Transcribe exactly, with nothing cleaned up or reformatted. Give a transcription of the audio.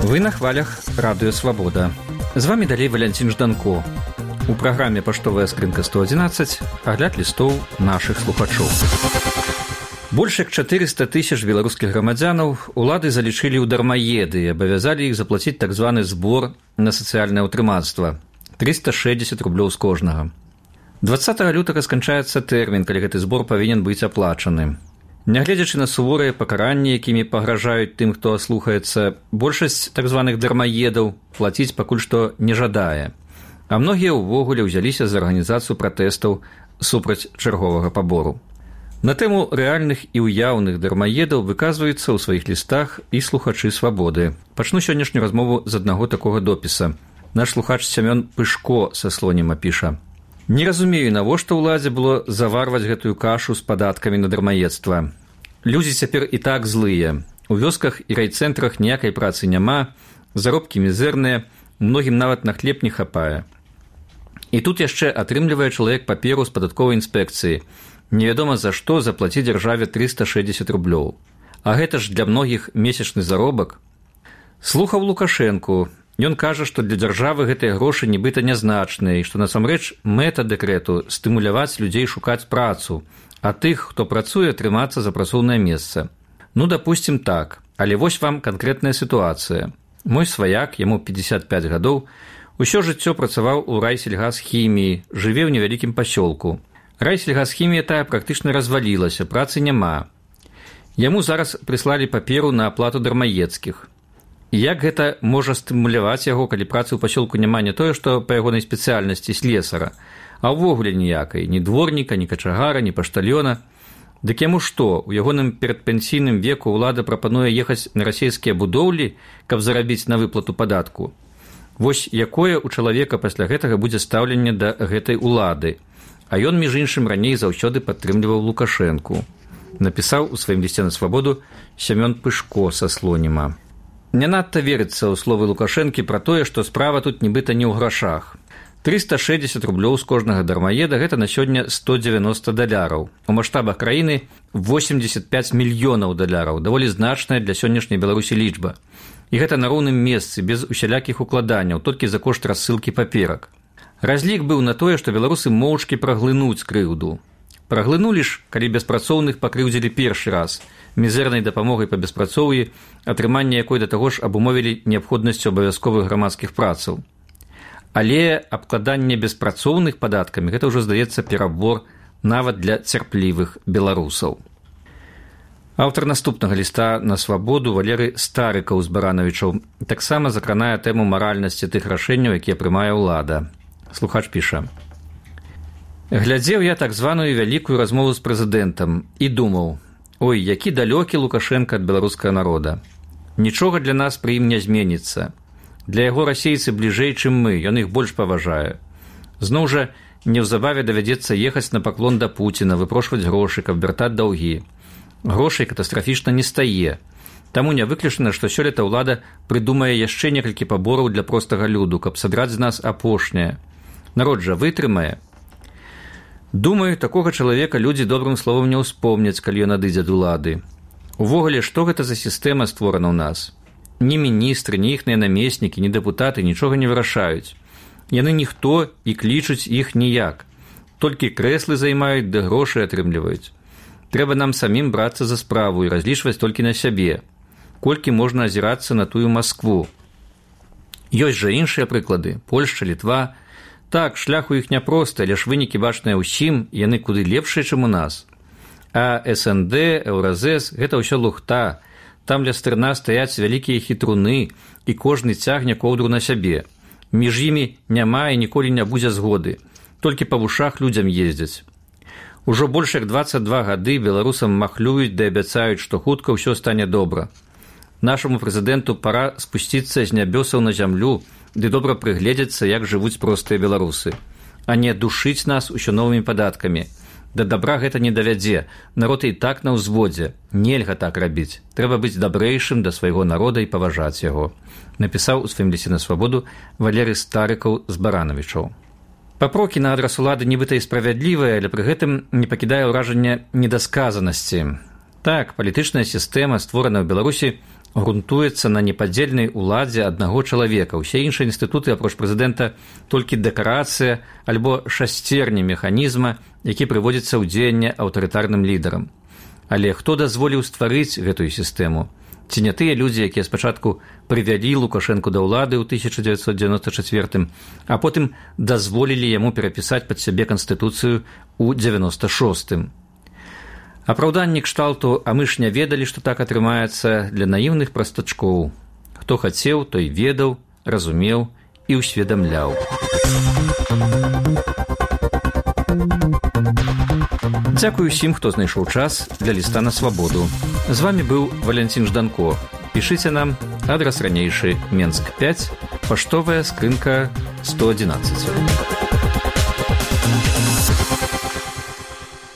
Вы на хвалях Радыё Свабода. З вами далей Валянцін Жданко. У праграме «Паштовая скрынка сто адзінаццаць» агляд лістоў нашых слухачоў. Больш як чатырыста тысяч беларускіх грамадзянаў улады залічылі ў дармаеды і абавязалі іх заплаціць так званы збор на сацыяльнае ўтрыманства – трыста шэсцьдзесят рублёў з кожнага. дваццатага лютага сканчаецца тэрмін, калі гэты збор павінен быць аплачаны. Нягледзячы на суворыя пакаранні, якімі пагражаюць тым, хто аслухаецца, большасць так званых дармаедаў плаціць пакуль што не жадае. А многія ўвогуле ўзяліся за арганізацыю пратэстаў супраць чарговага пабору. На тэму рэальных і ўяўных дармаедаў выказваюцца ў сваіх лістах і слухачы Свабоды. Пачну сённяшнюю размову з аднаго такога допіса. Наш слухач Сямён Пышко са Слоніма піша: «Не разумею, навошта ўладзе было заварваць гэтую кашу з падаткамі на дармаедства. Людзі цяпер і так злыя. У вёсках і райцэнтрах ніякай працы няма, заробкі мізэрныя, многім нават на хлеб не хапае. І тут яшчэ атрымлівае чалавек паперу з падатковай інспекцыі. Невядома за што заплаціць дзяржаве трыста шэсцьдзесят рублёў. А гэта ж для многіх месячны заробак». Слухаў Лукашэнку. Ён кажа, што для дзяржавы гэтыя грошы нібыта нязначныя і што насамрэч мэта дэкрэту – стымуляваць людзей шукаць працу, а тых, хто працуе, трымацца за працоўнае месца. Ну, дапусцім так, але вось вам канкрэтная сітуацыя. Мой сваяк, яму пятьдесят пять гадоў, усё жыццё працаваў у райсельгасхіміі, жыве ў невялікім пасёлку. Райсельгасхімія тая практычна развалілася, працы няма. Яму зараз прыслалі паперу на аплату дармаедскіх. І як гэта можа стымуляваць яго, калі працы ў пасёлку няма не тое, што па ягонай спецыяльнасці слесара, а ўвогуле ніякай, ні дворніка, ні качагара, ні паштальёна. Дык яму што, у ягоным перадпенсійным веку ўлада прапануе ехаць на расійскія будоўлі, каб зарабіць на выплату падатку? Вось якое ў чалавека пасля гэтага будзе стаўленне да гэтай улады. А ён, між іншым, раней заўсёды падтрымліваў Лукашэнку. Напісаў у сваім лісце на Свабоду Сямён Пышко са Слоніма. Не надта верыцца ў словы Лукашэнкі пра тое, што справа тут нібыта не ў грашах. трыста шэсцьдзесят рублёў з кожнага дармаеда – гэта на сёння сто дзевяноста даляраў. У маштабах краіны восемьдесят пять мільёнаў даляраў, даволі значная для сённяшняй Беларусі лічба. І гэта на роўным месцы, без усялякіх укладанняў, толькі за кошт рассылкі паперак. Разлік быў на тое, што беларусы моўчкі праглынуць крыўду. Праглынулі ж, калі беспрацоўных пакрыўдзілі першы раз, мізэрнай дапамогай па беспрацоўі, атрыманне якой да таго ж абумовілі неабходнасцю абавязковых грамадскіх працаў. Але абкладанне беспрацоўных падаткамі – гэта ўжо, здаецца, перабор нават для цярплівых беларусаў. Аўтар наступнага ліста на Свабоду Валерый Старыкаў з Баранавічаў таксама закранае тэму маральнасці тых рашэнняў, якія прымае ўлада. Слухач піша: «Глядзеў я так званую вялікую размову з прэзідэнтам і думаў: ой, які далёкі Лукашэнка ад беларускага народа. Нічога для нас пры ім не зменіцца. Для яго расейцы бліжэй, чым мы, ён іх больш паважае. Зноў жа, неўзабаве давядзецца ехаць на паклон да Пуціна, выпрошваць грошы, каб вяртаць даўгі. Грошай катастрафічна не стае. Таму не выключана, што сёлета ўлада прыдумае яшчэ некалькі пабораў для простага люду, каб садраць з нас апошняе. Народ жа вытрымае. Думаю, такога чалавека людзі добрым словам не ўспомняць, калі ён адыдзе ад улады. Увогуле, што гэта за сістэма створана ў нас? Ні міністры, ні іхныя намеснікі, ні дэпутаты нічога не вырашаюць. Яны ніхто і клічуць іх ніяк. Толькі крэслы займаюць, ды грошы атрымліваюць. Трэба нам самім брацца за справу і разлічваць толькі на сябе. Колькі можна азірацца на тую Маскву? Ёсць жа іншыя прыклады. Польшча, Літва. Так, шлях у іх няпросты, але ж вынікі бачныя ўсім, яны куды лепшыя, чым у нас. А эс эн дэ, Еўразэс – гэта ўсё лухта. Там ля стырна стаяць вялікія хітруны, і кожны цягне коўдру на сябе. Між імі няма і ніколі не будзе згоды. Толькі па вушах людзям ездзяць. Ужо больш як дваццаць два гады беларусам махлююць ды абяцаюць, што хутка ўсё стане добра. Нашаму прэзідэнту пара спусціцца з нябёсаў на зямлю, ды добра прыгледзецца, як жывуць простыя беларусы, а не душыць нас усё новымі падаткамі. Да добра гэта не давядзе, народ і так на ўзводзе. Нельга так рабіць. Трэба быць дабрэйшым да свайго народа і паважаць яго. Напісаў у сваім лісце на Свабоду Валерый Старыкаў з Баранавічаў. Папрокі на адрас улады нібыта і справядлівыя, але пры гэтым не пакідае ўражання недасказанасці. Так, палітычная сістэма, створаная ў Беларусі, грунтуецца на непадзельнай уладзе аднаго чалавека. Усе іншыя інстытуты, апроч прэзідэнта, толькі дэкарацыя альбо шасцерні механізма, які прыводзіцца ў дзеянне аўтарытарным лідарам. Але хто дазволіў стварыць гэтую сістэму? Ці не тыя людзі, якія спачатку прывялі Лукашэнку да ўлады ў тысяча дзевяцьсот дзевяноста чацвёртым, а потым дазволілі яму перапісаць пад сябе канстытуцыю ў дзевяноста шостым. Апраўданні кшталту «а мы ж не ведалі, што так атрымаецца» для наіўных прастачкоў. Хто хацеў, той ведаў, разумеў і ўсведамляў. Дзякую ўсім, хто знайшоў час для ліста на свабоду. З вамі быў Валянцін Жданко. Пішыце нам, адрас ранейшы, Менск пяць, паштовая скрынка сто адзінаццаць.